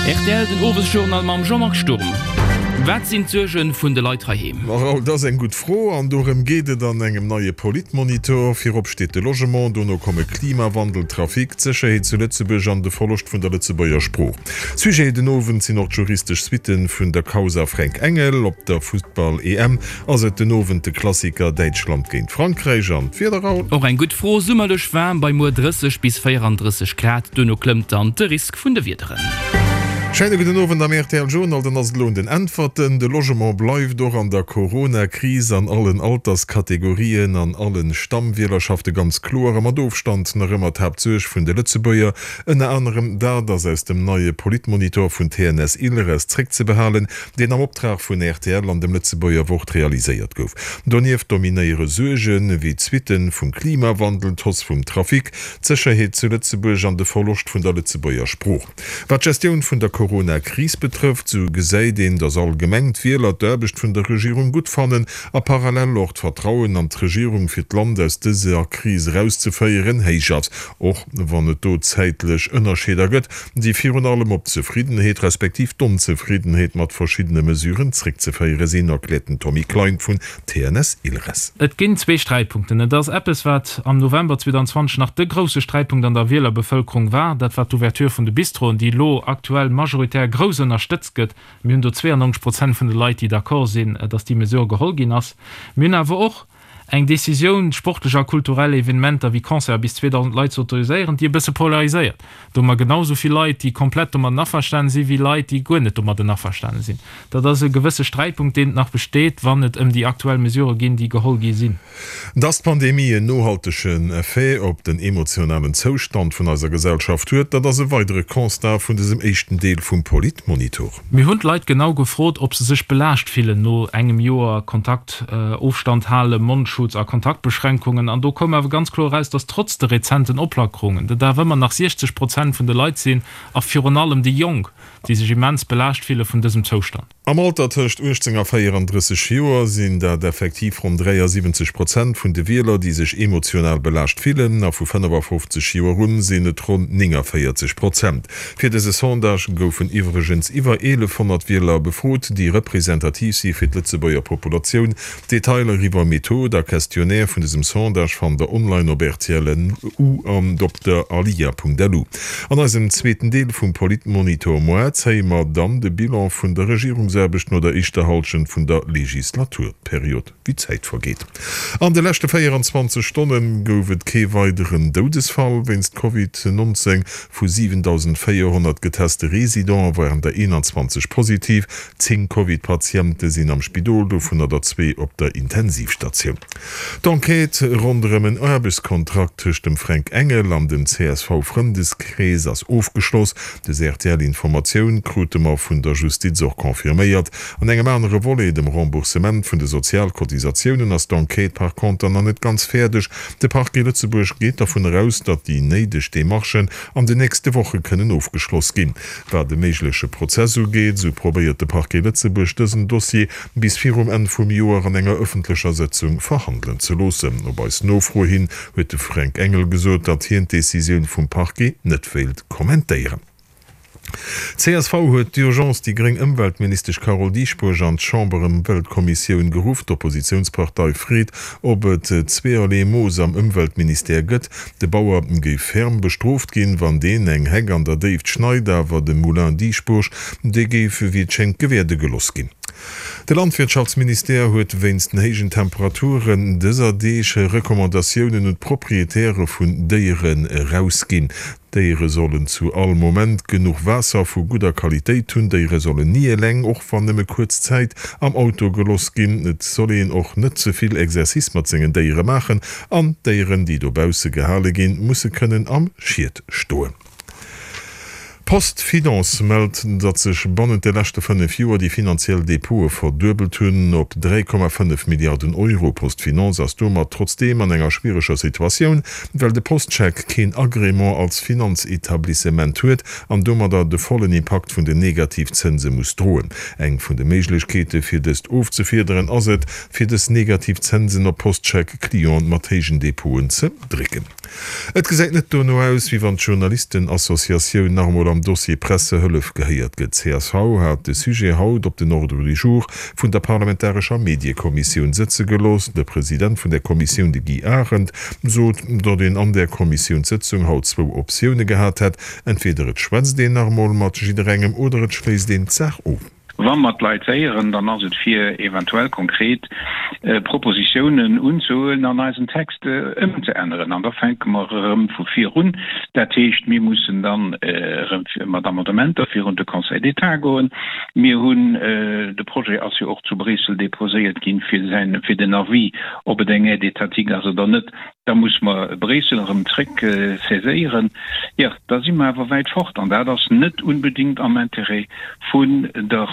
Rtl, den Owesjournal mam Jean-Marc Sturm. Wat sinn d'Suerge vun de Leit heiheem? Raoul, dat ass eng gutt Fro an dorëm geet et an engem neie Politmonitor. Virop steet de Logement, dono komme Klimawandel, Trafic, d'Sécherheet zu Lëtzebuerg an de Verloscht vun der Lëtzebuerger Sprooch. Sujet den Owend sinn och d'juristesch Suitte vun der Causa Fränk Engel. Op der Futtball-EM ass et den Owend de Klassiker Däitschland géint Frankräich. An d'Wieder, Raoul? Och eng gutt Fro, Summerlech waarm bei muer 30 bis 34 Grad, duerno klëmmt dann de Risk vun de Wiederen. Scheine gudden Owend am rtl Journal. Dann ass et elo un den Äntwerten. De Logement bleift och an der Corona-Kris an allen Alterskategorien an allen Stammwielerschafte ganz kloer a mat Ofstand nach ëmmer d'Haaptsuerg vun de Lëtzebuerger. Ënner anerem dat ass aus dem neie Politmonitor vun TNS Ilres zréckzebehalen, deen am Optrag vun rtl an dem Lëtzebuerger Wort realiséiert gouf. Donieft dominéiere Suerge wéi d'Suitte vum Klimawandel, d'Hausse vum Trafic, d'Sécherheet zu Lëtzebuerg an de Verloscht vun der Lëtzebuerger Sprooch. Wat d'Gestioun vun der Corona-Kris betrëfft, sou gesäit een, datt allgemeng d'Wieler d'Aarbecht vun der Regierung gutt fannen a parallel och d'Vertrauen an d'Regierung fir d'Land aus dëser Kris erauszeféieren héich ass, och wann et do zäitlech Ënnerscheeder gëtt, déi virun allem op d'Zefriddenheet respektiv d'Onzefriddenheet mat verschiddene Mesuren zréckzeféiere sinn, erkläert den Tommy Klein vun TNS Ilres. Et ginn zwee Sträitpunkten. Et ass eppes, wat am November 2020 nach de grousse Sträitpunkt an der Wielerbevëlkerung war, dat war d'Ouverture vun de Bistroen, déi elo aktuell majoritär grouss ënnerstëtzt gëtt. Mir hunn do 92 Prozent vun de Leit, déi d'accord sinn, datt déi Mesure geholl ginn ass. Mir hunn awer och eng Decisioun, sportlech a kulturell Evenementer wéi Concerte bis 2.000 Leit ze autoriséieren, déi e bësse polariséiert. Do hu mer genau esou vill Leit, déi komplett domadden averstane sinn, wéi Leit, déi guer net domadden averstane sinn. Dat ass e gewësse Sträitpunkt, deen nach besteet, wann et ëm déi aktuell Mesurë ginn, déi geholl gi sinn. Dass d'Pandemie en nohaltegen Effet op den emotionalen Zoustand vun eiser Gesellschaft huet, dat ass e weidere Constat vun dësem éischten Deel vum Politmonitor. Mir hunn d'Leit genau gefrot, ob se sech belaascht fillen no engem Joer Kontakt, Ofstand halen, Mondschutz a Kontaktbeschränkungen. An do koum awer ganz kloer eraus, dass trotz de rezenten Oplackerungen, et awer ëmmer nach 60 Prozent vun de Leit sinn, a virun allem déi Jonk, déi sech immens belaascht fille vun dësem Zoustand. Am Alter tëscht 18 a 34 Joer sinn dat effektiv ronn 73 Prozent vun de Wieler, déi sech emotional belaascht fillen, a vu 55 Joer un sinn et ronn 49 Prozent. Fir dëse Sondage goufen iwwregens iwwer 1.100 Wieler befrot, déi representativ si fir d'Lëtzebuerger Populatioun. Detailer iwwer Method a Questionnaire vun dësem Sondage fannt der online op rtl.lu an op der alia.lu. An eisem zweeten Deel vum Politmonitor moar zéie mer dann de Bilan vun der Regierungsaarbecht no der éischter Hallschent vun der Legislaturperiod. Wéi d'Zäit vergeet. An de leschte 24 Stonne gouf et kee weideren Doudesfall wéinst Covid 19. Vu 7.400 geteste Residente waren der 21 positiv. 10 Covid-Patiente sinn am Spidol, dovunner der zwee op der Intensivstatioun. D'Enquête ronderëm en Aarbechtskontrakt tëscht dem Fränk Engel an dem CSV-Frëndeskrees ass ofgeschloss. Des RTL-Informatioun krute mer vun der Justiz och confirméiert. An engem anere Volet, dem Remboursement vun de Sozialcotisatiounen, ass d'Enquête par conter nach net ganz fäerdeg. De Parquet Lëtzebuerg geet dervun eraus, datt déi néideg Demarchen an den nächste Woche kënnen ofgeschloss ginn. Wat e méigleche Prozess ugeet, esou probéiert de Parquet Lëtzebuerg dësen Dossier bis virum Enn vum Joer an enger ëffentlecher Sëtzung verhandelen ze loossen. Op eis Nofro hin huet de Fränk Engel gesot, datt hien d'Decisioun vum Parquet net wéilt kommentéieren. Csv huet d'urgence déi gréng Ëmweltministesch Carole Dieschbourg an d'Chamberëmweltkommissioun geruff. D'Oppositiounspartei freet, ob et zweeërlee Mooss am Ëmweltministère gëtt. De Bauer géif ferm bestrooft ginn, wann deen eng Heck an der Déift schneit, awer de Moulin Dieschbourg, dee géif wéi et schéngt gewäerde geloss ginn. De Landwirtschaftsministère huet wéinst den héijen Temperaturen dëser Deeg Recommandatiounen un d'Proprietäre vun Déieren erausginn. D'Déiere sollen zu all Moment genuch Waasser vu gudder Qualitéit hunn. D'Déiere sollen ni eleng, och wann nëmme kuerz Zäit, am Auto geloss ginn. Et soll een och net ze vill Exercice mat sengen Déiere maachen an d'Déieren, déi dobausse gehale ginn, musse kënnen am Schiet stoen. PostFinance mellt, datt sech bannent de leschte 5 Joer déi finanziell Depote verduebelt hunn op 3,5 Milliarden Euro. PostFinance ass domat trotzdeem an enger schwiereger Situatioun, well de Postcheck keen Agrément als Finanzetablissement huet an domadder de vollen Impakt vun den Negativzënse muss droen. Eng vun de Méiglechkeete fir dëst ofzefiederen ass et, fir dës negativ Zënsen op Postcheck-Clienten mat héijen Depoten ze drécken. Et gesäit net dono aus, wéi wann d'Journalistenassociatioun nach emol am Dossier Pressehëllef gehéiert gëtt. Csv hat de Sujet haut op den Ordre du jour vun der parlamentarescher Mediekommissioun sëtze gelooss. De President vun där Kommissioun, de Guy Arendt, sot, datt een an där Kommissiounssëtzung haut zwou Optioune gehat hätt, Entweder et schwätzt een nach emol mat jidderengem oder et schléisst een d'Saach of. Wa mer d'Leit héieren, dann ass et fir eventuell konkret Propositiounen unzehuelen an eisen Text ëmzeänneren. An da fänke mer erëm vu vir un. Dat heescht, mir mussen dann erëm mat Amendementer virun de Conseil d'État goen. Mir hunn, de Projet ass jo och zu Bréissel déposéiert ginn, fir säin, fir den Avis, ob et eng Aide étatique ass oder net. Da muss mer Bréissel erëm zréck saiséieren. Jo, da si mer awer wäit fort an dat ass net unbedingt am Intérêt vun der,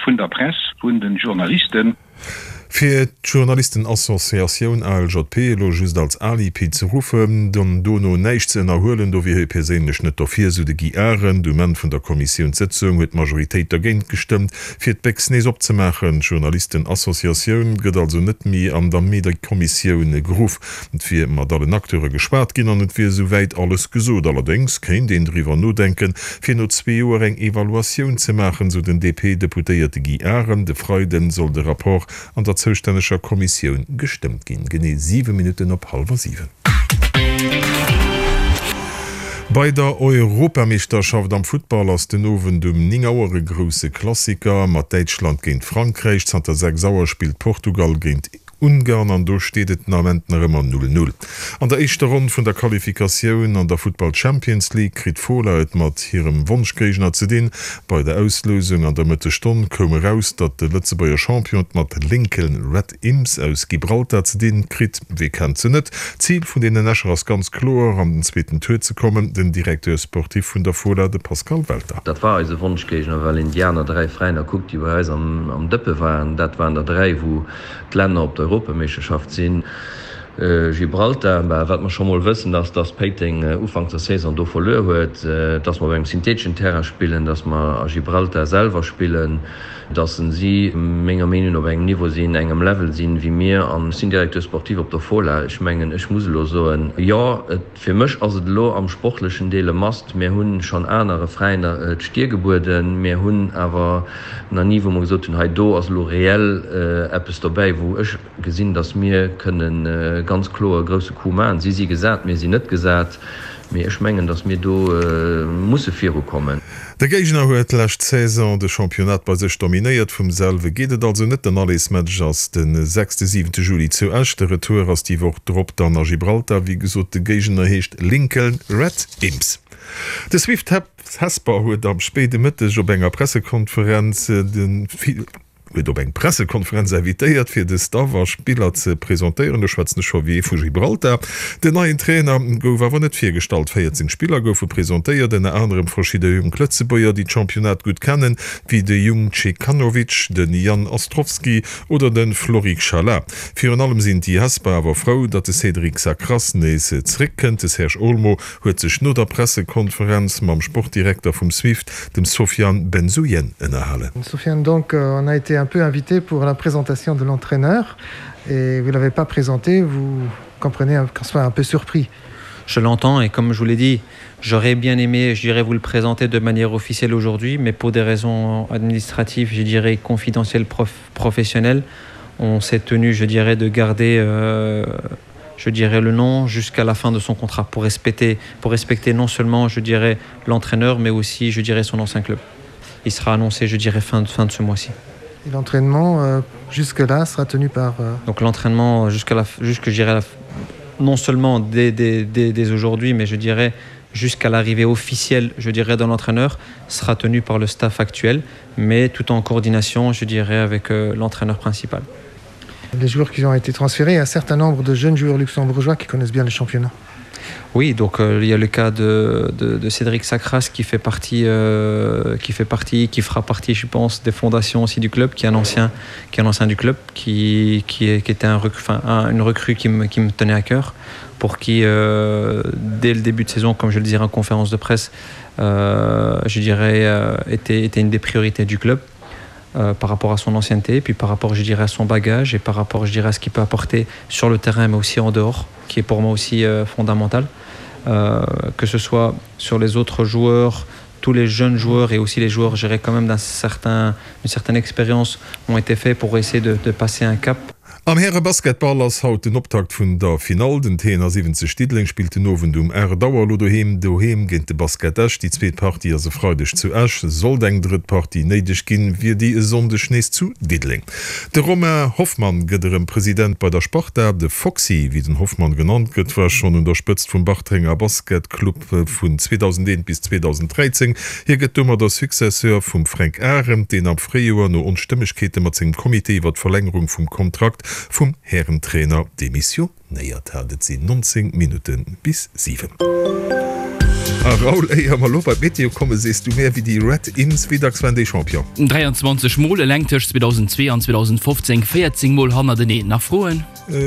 vun der Press, vun de Journalisten. Fir d'Journalistenassociatioun ALJP elo just als Alibi ze ruffen, an dono näischt ze ënnerhuelen, do wier hie perséinlech net dofir, sou de Guy Arendt. Um Enn vun der Kommissiounssëtzung huet d'Majoritéit dergéint gestëmmt, fir d'Béchs nees opzemaachen. D'Journalistenassociatioun gëtt also net méi an der Mediekommissioun geruff. Et wier mat allen Acteure geschwat ginn an et wier esou wäit alles gesot. Allerdéngs kéint een driwwer nodenken, fir no zwee Joer eng Evaluatioun ze maachen, sou den DP-Deputéierte Guy Arendt. E Freiden soll de Rapport an der zoustänneger Kommissioun gestëmmt ginn. Genee 7 Minutten op hallwer 7. Bei der Europameeschterschaft am Futtball ass den Owend um 9 Auer e grousse Klassiker mat Däitschland géint Frankräich. Zanter 6 Auer spillt Portugal géint Ungarn an do steet et den Ament nach ëmmer 0, 0. An der éischter Ronn vun der Qualifikatioun an der Futtball Champions League kritt d'Fola et mat hirem Wonschgéigner ze dinn. Bei der Auslousung an der Mëttesstonn koum eraus, datt de Lëtzebuerger Champion et mat Lincoln Red Imps aus Gibraltar ze dinn kritt. Wee kennt se net? D'Zil vun deenen Escher ass ganz kloer, an den zweeten Tour ze kommen. Den Directeur sportif vun der Fola, de Pascal Welter. Dat war eise Wonschgéigner, well een déi aner 3 Veräiner kuckt, déi bei eis am Dëppe waren. Dat waren der 3, wou d'Länner op der Europameeschterschaft sinn. Gibraltar, bah, wat mer scho mol wëssen, ass, dass Péiteng ufanks der Saison do verluer huet, dass mer op engem syntheteschen Terrain spillen, dass mer a Gibraltar selwer spillen, dass si menger Meenung no op engem Niveau sinn, engem Level sinn, wéi mir. An ech sinn Directeur sportif op der Fola. Ech mengen, ech muss elo soen, jo, et, fir mech ass et elo am sportlechen Deel e Must. Mir hu schonn anere Veräiner d'Stier gebueden. Mir hunn awer nach ni, wou mer gesot hunn, hei do ass elo reell eppes dobäi, wou ech gesinn, datt mir kënne ganz kloer e grousse Coup maachen. Si si gesat, mir sinn net gesat, mee ech mengen, datt mir do musse virukommen. De Géigner huet lescht Saison de Championnat bei sech dominéiert. Vum selwe geet et also net. Den Allersmatch ass de sechste, siwente Juli zu Esch. De Retour ass déi Woch drop dann a Gibraltar. Wéi gesot, de Géigner heescht Lincoln Red Imps. De Swift Hesper huet am spéide Mëtteg op enger Pressekonferenz de huet op eng Pressekonferenz invitéiert, fir de Staff a Spiller ze presentéieren. Do schwätzen ech scho wéi ee vu Gibraltar. Den neien Trainer gouf awer net virgestallt. 14 Spiller goufe presentéiert, ënner anerem verschidde jonk Lëtzebuerger, déi d'Championnat gutt kennen, wéi de Jung Cekanovic, de Jan Ostrowski oder de Florik Shala. Virun allem sinn déi Hesper awer frou, datt de Cédric Sacras nees zeréckkënnt. De Serge Olmo huet sech no der Pressekonferenz mam Sportdirekter vum Swift, dem Sofiane Benzouyen, ënnerhalen. Sofiane, donc on a été un peu invité pour la présentation de l'entraîneur et vous l'avez pas présenté, vous comprenez qu'on soit un peu surpris. Je l'entends et comme je vous l'ai dit, j'aurais bien aimé, je dirais vous le présenter de manière officielle aujourd'hui, mais pour des raisons administratives, je dirais confidentielles prof, professionnelles, on s'est tenu, je dirais de garder euh, je dirais le nom jusqu'à la fin de son contrat pour respecter pour respecter non seulement je dirais l'entraîneur mais aussi je dirais son ancien club il sera annoncé je dirais fin de fin de ce mois-ci et l'entraînement euh, jusque là sera tenu par euh... donc l'entraînement jusqu'à la jusque je dirais la, non seulement dès, dès, dès, dès aujourd'hui mais je dirais jusqu'à l'arrivée officielle je dirais dans l'entraîneur sera tenu par le staff actuel mais tout en coordination je dirais avec euh, l'entraîneur principal les joueurs qui ont été transférés un certain nombre de jeunes joueurs luxembourgeois qui connaissent bien le championnat. Oui, donc euh, il y a le cas de, de, de Cédric Sacras qui fait partie euh, qui fait partie qui fera partie je pense des fondations aussi du club qui est un ancien qui est un ancien du club qui, qui, est, qui était un recru, enfin, un, une recrue qui me, qui me tenait à cœur pour qui euh, dès le début de saison comme je le dirais en conférence de presse euh, je dirais euh, était, était une des priorités du club. euh, par rapport à son ancienneté puis par rapport je dirais à son bagage et par rapport je dirais à ce qu'il peut apporter sur le terrain mais aussi en dehors qui est pour moi aussi euh, fondamental euh, que ce soit sur les autres joueurs tous les jeunes joueurs et aussi les joueurs gérés quand même d'un certain une certaine expérience ont été faits pour essayer de, de passer un cap Am Härebasketball ass haut den Optakt vun der Finall. Den TNA 70 Diddeleng spillt den Owend um 8 Auer elo doheem doheem géint de Basket Esch. Déi zweet Partie ass e Freideg zu Esch. Sollt eng drëtt Partie néideg ginn, wier déi e Sonndeg nees zu Diddeleng. De Romain Hoffmann gëtt erëm President bei der Sparta. De Foxy, wéi den Hoffmann genannt gëtt, war schonn un der Spëtzt vum Bartrenger Basketclub vun 2001 bis 2013. Hie gëtt domadder Successeur vum Fränk Arendt, deen am Fréijoer no Onstëmmegkeete mat sengem Comité iwwer d'Verlängerung vum Kontrakt vum Härentrainer demissionéiert hat. Et sinn 19 Minutte bis 7. A Raoul, éier mer elo bei d'Meteo kommen, sees du mär, wéi déi Red Imps, wéi dacks waren déi Champion? 23 Mol, eleng tëscht 2002 an 2015 14 Mol hannerteneen. Nach Froen?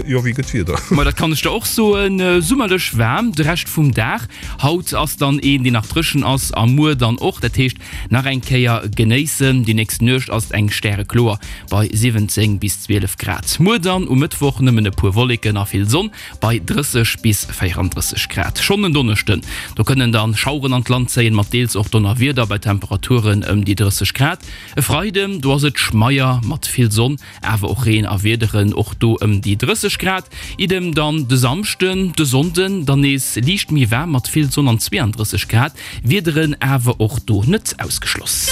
Jo, wéi gëtt d'Wieder? Ma dat kann ech der och soen, Summerlech waarm de Rescht vum Dag. Haut ass dann een, deen nach dréchen ass a muer dann och. Dat heescht nach eng Kéier genéissen. Déi nächst Nuecht ass et eng stärekloer bei 17 bis 12 Grad. Muer dann um Mëttwoch nëmmen e puer Wolleken a vill Sonn bei 30 bis 34 Grad. Schonn en Donneschden, do kënnen dann Schaueren an d'Land zéien, mat deels och Donnerwieder bei Temperaturen ëm déi 30 Grad. E Freiden, do ass et schmeier mat vill Sonn Awer och Reen a Wiederen, och do ëm déi 30 Grad. Idem dann de Samschden, de Sonnden dann nees liicht méi waarm mat vill Sonn an 32 Grad, Wiederen awer och do net ausgeschloss.